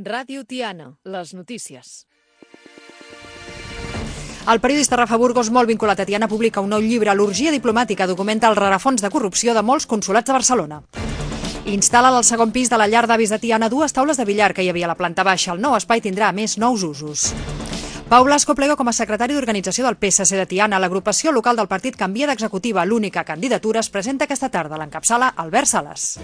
Ràdio Tiana, les notícies. El periodista Rafa Burgos, molt vinculat a Tiana, publica un nou llibre, L'orgia diplomàtica, documenta el rerefons de corrupció de molts consolats de Barcelona. Instal·la al segon pis de la llar d'avis de Tiana 2 taules de billar que hi havia a la planta baixa. El nou espai tindrà a més nous usos. Pau Blasco plega com a secretari d'organització del PSC de Tiana. L'agrupació local del partit canvia d'executiva. L'única candidatura es presenta aquesta tarda. L'encapçala Albert Sales.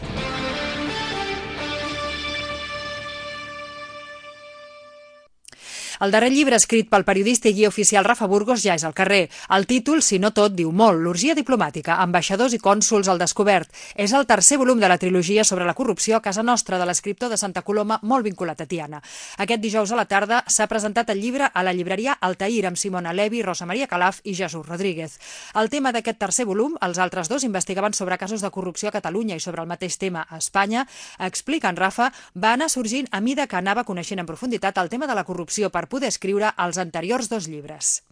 El darrer llibre escrit pel periodista i guia oficial Rafa Burgos ja és al carrer. El títol, si no tot, diu molt. L'orgia diplomàtica, ambaixadors i cònsols al descobert. És el tercer volum de la trilogia sobre la corrupció a casa nostra de l'escriptor de Santa Coloma, molt vinculat a Tiana. Aquest dijous a la tarda s'ha presentat el llibre a la llibreria Altair amb Simona Levi, Rosa Maria Calaf i Jesús Rodríguez. El tema d'aquest tercer volum, els altres dos investigaven sobre casos de corrupció a Catalunya i sobre el mateix tema a Espanya. Explica en Rafa, va anar sorgint a mida que anava coneixent en profunditat el tema de la corrupció per poder escriure els anteriors dos llibres.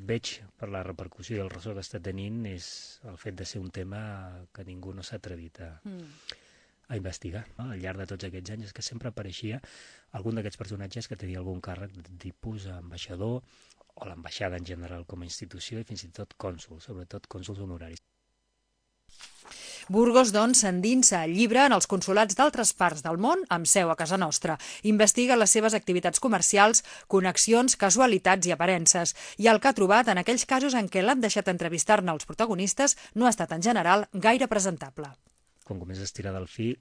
Veig per la repercussió i el ressò que està tenint és el fet de ser un tema que ningú no s'ha atrevit a investigar. Al llarg de tots aquests anys és que sempre apareixia algun d'aquests personatges que tenia algun càrrec de tipus ambaixador o l'ambaixada en general com a institució i fins i tot cònsols, sobretot cònsols honoraris. Burgos, doncs, s'endinsa al llibre en els consolats d'altres parts del món amb seu a casa nostra. Investiga les seves activitats comercials, connexions, casualitats i aparences. I el que ha trobat en aquells casos en què l'han deixat entrevistar-ne els protagonistes no ha estat, en general, gaire presentable. Quan comences a estirar del fil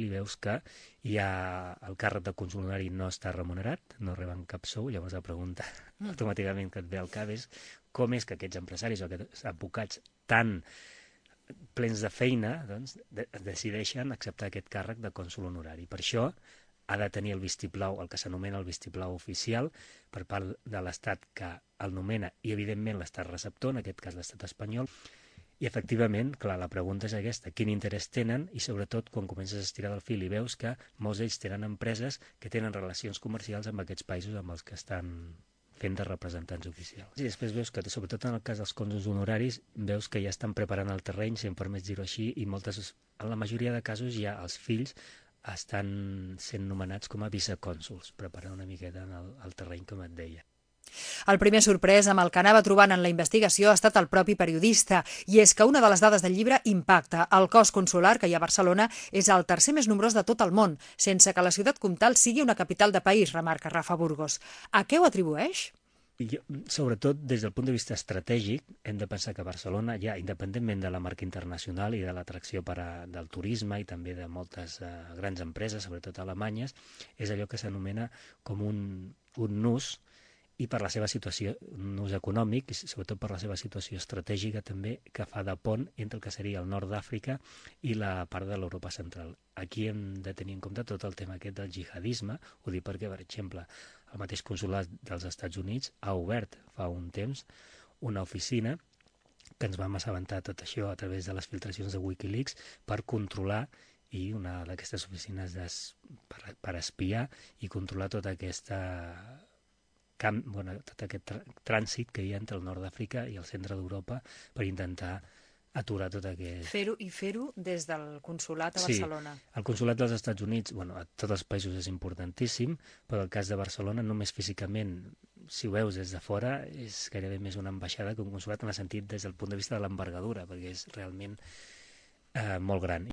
i veus que el càrrec de cònsol honorari no està remunerat, no reben cap sou, llavors la pregunta automàticament que et ve al cap és com és que aquests empresaris o aquests advocats tan plens de feina, doncs, decideixen acceptar aquest càrrec de cònsol honorari. Per això ha de tenir el vistiplau, el que s'anomena el vistiplau oficial, per part de l'Estat que el nomena i, evidentment, l'Estat receptor, en aquest cas l'Estat espanyol. I, efectivament, clar, la pregunta és aquesta, quin interès tenen i, sobretot, quan comences a estirar del fil i veus que molts d'ells tenen empreses que tenen relacions comercials amb aquests països amb els que estan fent de representants oficials. I després veus que, sobretot en el cas dels cònsols honoraris, veus que ja estan preparant el terreny, si em permets dir-ho així, i en la majoria de casos ja els fills estan sent nomenats com a vicecònsols, preparant una miqueta el terreny, com et deia. El primer sorprès amb el que anava trobant en la investigació ha estat el propi periodista, i és que una de les dades del llibre impacta. El cos consular que hi ha a Barcelona és el tercer més nombrós de tot el món, sense que la ciutat comtal sigui una capital de país, remarca Rafa Burgos. A què ho atribueix? Sobretot, des del punt de vista estratègic, hem de pensar que Barcelona, ja independentment de la marca internacional i de l'atracció del turisme i també de moltes grans empreses, sobretot alemanyes, és allò que s'anomena com un nus, i per la seva situació, un ús econòmic, i sobretot per la seva situació estratègica també, que fa de pont entre el que seria el nord d'Àfrica i la part de l'Europa central. Aquí hem de tenir en compte tot el tema aquest del jihadisme, ho dic perquè, per exemple, el mateix consolat dels Estats Units ha obert fa un temps una oficina que ens vam assabentar tot això a través de les filtracions de Wikileaks per controlar i una d'aquestes oficines per espiar i controlar tota aquesta tot aquest trànsit que hi ha entre el nord d'Àfrica i el centre d'Europa per intentar aturar tot aquest... Fer-ho des del consolat a Barcelona. Sí, el consolat dels Estats Units, a tots els països és importantíssim, però el cas de Barcelona només físicament, si ho veus des de fora, és gairebé més una ambaixada que un consolat en el sentit des del punt de vista de l'envergadura, perquè és realment molt gran.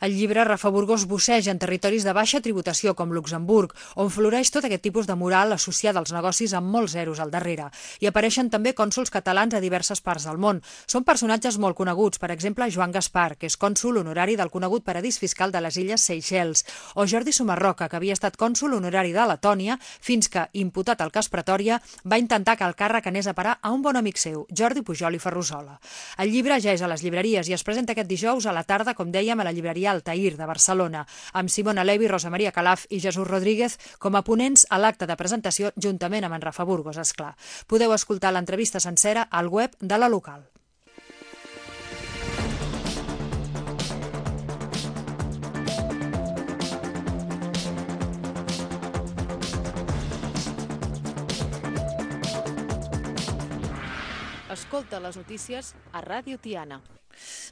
El llibre Rafa Burgos busseja en territoris de baixa tributació com Luxemburg, on floreix tot aquest tipus de moral associada als negocis amb molts zeros al darrere. Hi apareixen també cònsols catalans a diverses parts del món. Són personatges molt coneguts, per exemple Joan Gaspar, que és cònsol honorari del conegut paradís fiscal de les illes Seychelles, o Jordi Sumarroca, que havia estat cònsol honorari de Letònia, fins que, imputat al cas Pretòria, va intentar que el càrrec anés a parar a un bon amic seu, Jordi Pujol i Ferrusola. El llibre ja és a les llibreries i es presenta aquest dijous a la tarda, com dèiem, a la llibreria Altair de Barcelona, amb Simona Levi, Rosa Maria Calaf i Jesús Rodríguez com a ponents a l'acte de presentació juntament amb en Rafa Burgos, esclar. Podeu escoltar l'entrevista sencera al web de la local. Escolta les notícies a Ràdio Tiana.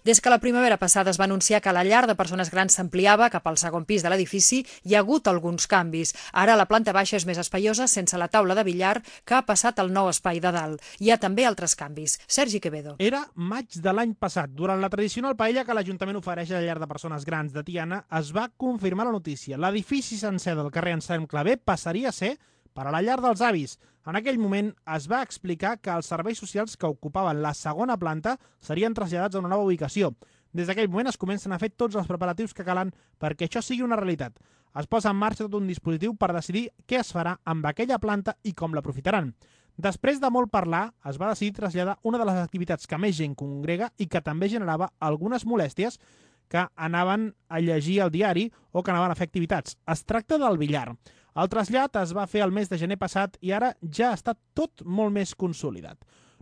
Des que la primavera passada es va anunciar que la llar de persones grans s'ampliava cap al segon pis de l'edifici, hi ha hagut alguns canvis. Ara la planta baixa és més espaiosa, sense la taula de billar, que ha passat al nou espai de dalt. Hi ha també altres canvis. Sergi Quevedo. Era maig de l'any passat. Durant la tradicional paella que l'Ajuntament ofereix a la llar de persones grans de Tiana, es va confirmar la notícia. L'edifici sencer del carrer Anselm Clavé passaria a ser per a la llar dels avis. En aquell moment es va explicar que els serveis socials que ocupaven la segona planta serien traslladats a una nova ubicació. Des d'aquell moment es comencen a fer tots els preparatius que calen perquè això sigui una realitat. Es posa en marxa tot un dispositiu per decidir què es farà amb aquella planta i com l'aprofitaran. Després de molt parlar, es va decidir traslladar una de les activitats que més gent congrega i que també generava algunes molèsties que anaven a llegir el diari o que anaven a fer activitats. Es tracta del billar. El trasllat es va fer el mes de gener passat i ara ja està tot molt més consolidat.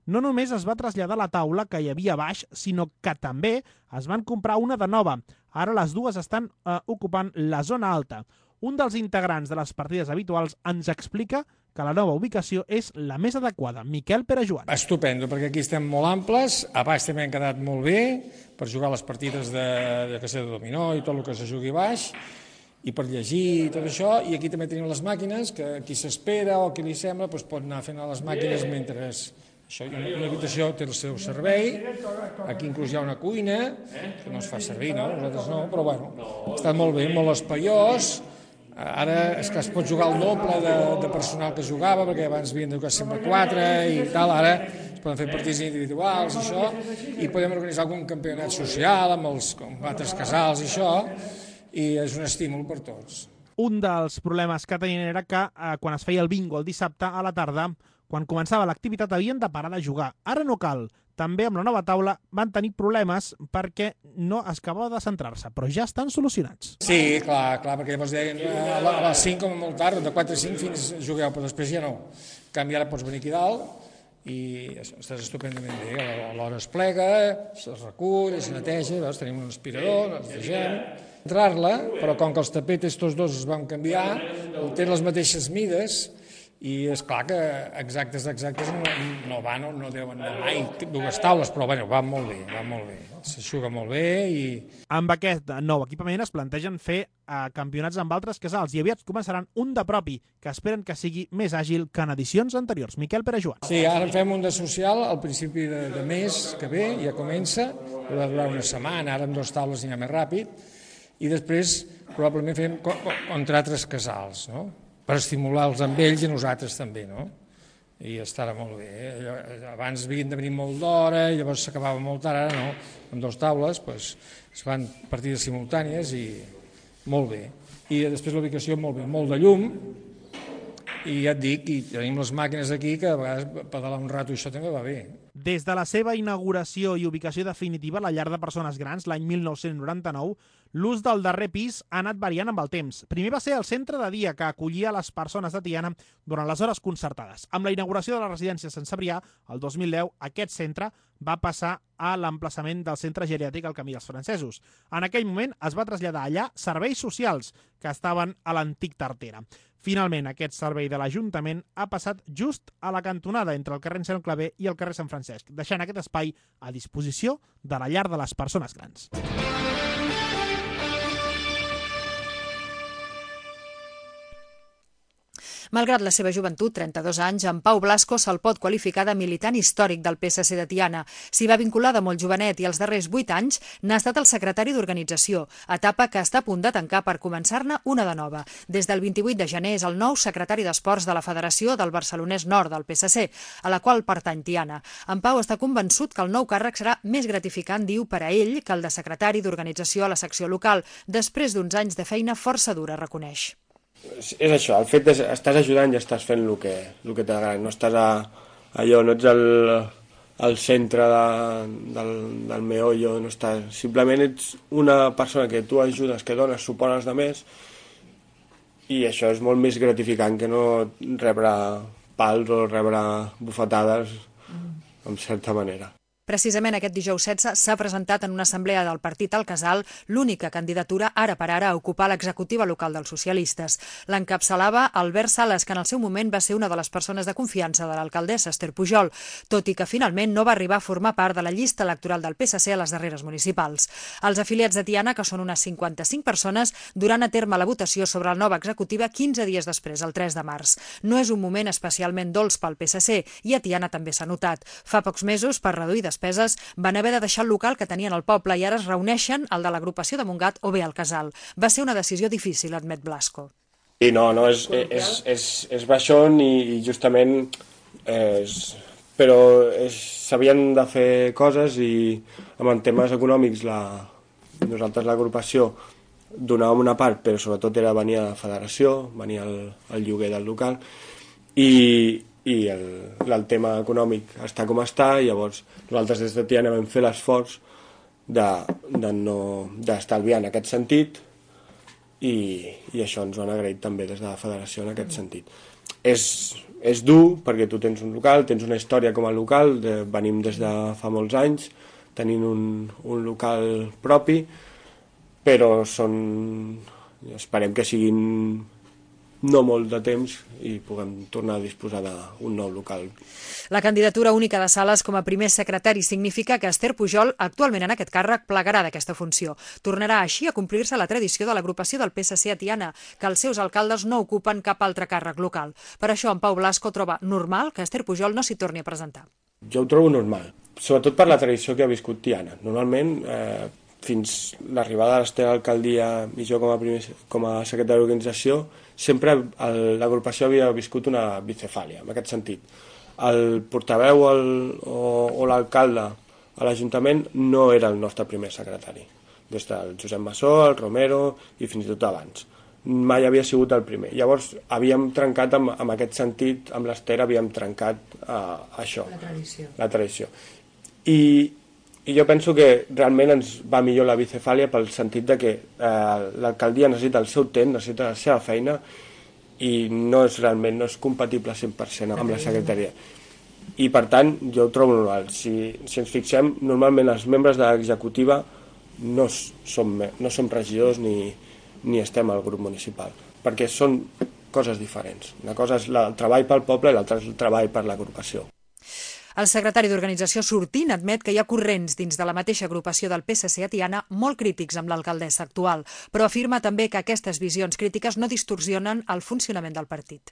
No només es va traslladar la taula que hi havia a baix, sinó que també es van comprar una de nova. Ara les dues estan ocupant la zona alta. Un dels integrants de les partides habituals ens explica que la nova ubicació és la més adequada. Miquel Perejoan. Estupendo, perquè aquí estem molt amples, a baix també han quedat molt bé per jugar les partides de dominó i tot el que se jugui a baix, i per llegir i tot això, i aquí també tenim les màquines, que qui s'espera o qui li sembla pot anar fent a les màquines mentre... Això, una habitació té el seu servei, aquí inclús hi ha una cuina, que no es fa servir, no? Nosaltres no, però bueno, està molt bé, molt espaiós. Ara és que es pot jugar el doble de personal que jugava, perquè abans havien de jugar sempre 4 i tal, ara es poden fer partits individuals i això, i podem organitzar algun campionat social amb altres casals i això, i és un estímul per tots. Un dels problemes que tenien era que quan es feia el bingo el dissabte a la tarda, quan començava l'activitat havien de parar de jugar. Ara no cal. També amb la nova taula van tenir problemes perquè no es acabava de centrar-se, però ja estan solucionats. Sí, clar, perquè llavors deien a les 5 com a molt tard, de 4 a 5 fins jugueu, però després ja no. En canvi ara pots venir aquí dalt i estàs estupendament bé. A l'hora es plega, es recull, es neteja, veus, tenim un aspirador, ens deixem entrar-la, però com que els tapetes tots dos es van canviar, tenen les mateixes mides, i és clar que exactes no deuen anar mai dues taules, però bueno, van molt bé, s'aixuga molt bé. Amb aquest nou equipament es plantegen fer campionats amb altres casals i aviat començaran un de propi, que esperen que sigui més àgil que en edicions anteriors. Miquel Perejoan. Sí, ara en fem un de social al principi de mes que ve, ja comença, va durar una setmana, ara amb 2 taules anirà més ràpid, i després probablement fem contra altres casals, no? Per estimular-los amb ells i nosaltres també, no? I estarà molt bé. Abans havien de venir molt d'hora i llavors s'acabava molt tard, ara no. Amb 2 taules es fan partides simultànies i molt bé. I després la ubicació molt bé, molt de llum, i ja et dic, i tenim les màquines aquí que a vegades pedalar un rato i això també va bé. Des de la seva inauguració i ubicació definitiva a la llar de persones grans l'any 1999, l'ús del darrer pis ha anat variant amb el temps. Primer va ser el centre de dia que acollia les persones de Tiana durant les hores concertades. Amb la inauguració de la residència Sant Cebrià, el 2010, aquest centre va passar a l'emplaçament del centre geriàtric al Camí dels Francesos. En aquell moment es va traslladar allà serveis socials que estaven a l'antic Tartera. Finalment, aquest servei de l'Ajuntament ha passat just a la cantonada entre el carrer Anselm Clavé i el carrer Sant Francesc, deixant aquest espai a disposició de la llar de les persones grans. Malgrat la seva joventut, 32 anys, en Pau Blasco se'l pot qualificar de militant històric del PSC de Tiana. S'hi va vincular de molt jovenet i els darrers 8 anys n'ha estat el secretari d'organització, etapa que està a punt de tancar per començar-ne una de nova. Des del 28 de gener és el nou secretari d'Esports de la Federació del Barcelonès Nord del PSC, a la qual pertany Tiana. En Pau està convençut que el nou càrrec serà més gratificant, diu, per a ell que el de secretari d'organització a la secció local, després d'uns anys de feina força dura, reconeix. És això, el fet d'estàs ajudant i estàs fent el que t'agrada, no estàs allò, no ets al centre del meollo, no estàs, simplement ets una persona que tu ajudes, que dones suport als altres, i això és molt més gratificant que no rebre pals o rebre bufetades, en certa manera. Precisament aquest dijous 16 s'ha presentat en una assemblea del partit al Casal l'única candidatura ara per ara a ocupar l'executiva local dels socialistes. L'encapçalava Albert Sales, que en el seu moment va ser una de les persones de confiança de l'alcaldessa Esther Pujol, tot i que finalment no va arribar a formar part de la llista electoral del PSC a les darreres municipals. Els afiliats de Tiana, que són unes 55 persones, duran a terme la votació sobre la nova executiva 15 dies després, el 3 de març. No és un moment especialment dolç pel PSC i a Tiana també s'ha notat. Fa pocs mesos, per reduir despeses, van haver de deixar el local que tenien al poble i ara es reuneixen al de l'agrupació de Montgat o bé al Casal. Va ser una decisió difícil, admet Blasco. I no, és baixón i justament però s'havien de fer coses i en temes econòmics nosaltres l'agrupació donàvem una part, però sobretot venia a la federació, venia el lloguer del local i el tema econòmic està com està, i llavors nosaltres des de Tiana vam fer l'esforç d'estalviar en aquest sentit i això ens ho han agraït també des de la federació en aquest sentit. És dur perquè tu tens un local, tens una història com a local, venim des de fa molts anys tenint un local propi, però esperem que siguin no molt de temps i puguem tornar a disposar d'un nou local. La candidatura única de Sales com a primer secretari significa que Esther Pujol, actualment en aquest càrrec, plegarà d'aquesta funció. Tornarà així a complir-se la tradició de l'agrupació del PSC a Tiana, que els seus alcaldes no ocupen cap altre càrrec local. Per això, en Pau Blasco troba normal que Esther Pujol no s'hi torni a presentar. Jo ho trobo normal, sobretot per la tradició que ha viscut Tiana. Normalment, fins l'arribada de l'Esther a l'alcaldia i jo com a secretari d'organització, sempre l'agrupació havia viscut una bicefàlia, en aquest sentit. El portaveu o l'alcalde a l'Ajuntament no era el nostre primer secretari. Des del Josep Massó, el Romero i fins i tot abans. Mai havia sigut el primer. Llavors havíem trencat en aquest sentit, amb l'Esther havíem trencat això. La tradició. I jo penso que realment ens va millor la bicefàlia pel sentit de que l'alcaldia necessita el seu temps, necessita la seva feina i no és compatible 100% amb la secretaria. I per tant, jo ho trobo normal. Si ens fixem, normalment els membres de l'executiva no som regidors ni estem al grup municipal, perquè són coses diferents. Una cosa és el treball pel poble i l'altra és el treball per l'agrupació. El secretari d'organització sortint admet que hi ha corrents dins de la mateixa agrupació del PSC a Tiana molt crítics amb l'alcaldessa actual, però afirma també que aquestes visions crítiques no distorsionen el funcionament del partit.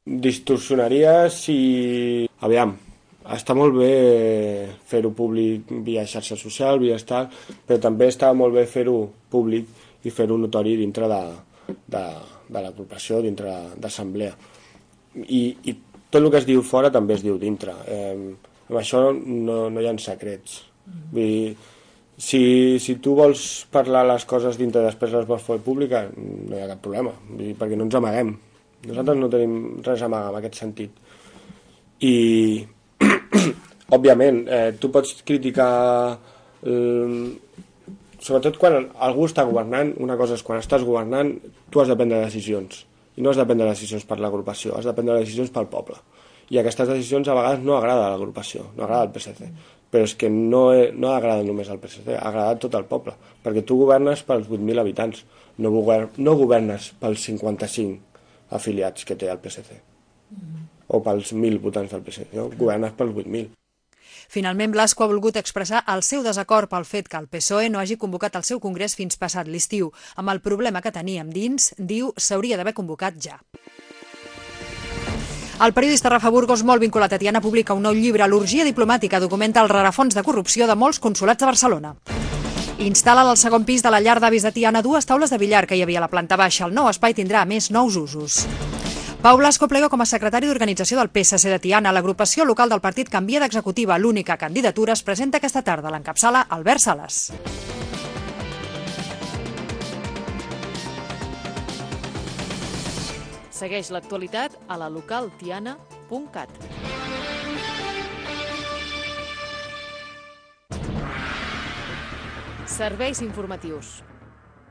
Distorsionaria si... Aviam, està molt bé fer-ho públic via xarxa social, via tal, però també està molt bé fer-ho públic i fer-ho notori dintre de l'agrupació, dintre d'assemblea. I tot el que es diu fora també es diu dintre. Amb això no hi ha secrets. Vull dir, si tu vols parlar les coses dintre i després les vols fer pública, no hi ha cap problema, vull dir, perquè no ens amaguem. Nosaltres no tenim res a amagar en aquest sentit. I, òbviament, tu pots criticar... Sobretot quan algú està governant, una cosa és quan estàs governant, tu has de prendre decisions. I no has de prendre decisions per l'agrupació, has de prendre decisions pel poble. I aquestes decisions a vegades no agrada a l'agrupació, no agrada al PSC. Però és que no agrada només al PSC, agrada a tot el poble. Perquè tu governes pels 8.000 habitants, no governes pels 55 afiliats que té el PSC. O pels 1.000 votants del PSC, no? Governes pels 8.000. Finalment, Blasco ha volgut expressar el seu desacord pel fet que el PSOE no hagi convocat el seu congrés fins passat l'estiu. Amb el problema que teníem dins, diu, s'hauria d'haver convocat ja. El periodista Rafa Burgos, molt vinculat a Tiana, publica un nou llibre, L'orgia diplomàtica, documenta el rerefons de corrupció de molts consolats de Barcelona. Instal·la al segon pis de la llar d'avis de Tiana 2 taules de billar que hi havia a la planta baixa. El nou espai tindrà, a més, nous usos. Pau Blasco plega com a secretari d'organització del PSC de Tiana. L'agrupació local del partit canvia d'executiva. L'única candidatura es presenta aquesta tarda. L'encapçala Albert Sales. Segueix l'actualitat a la localtiana.cat. Serveis informatius.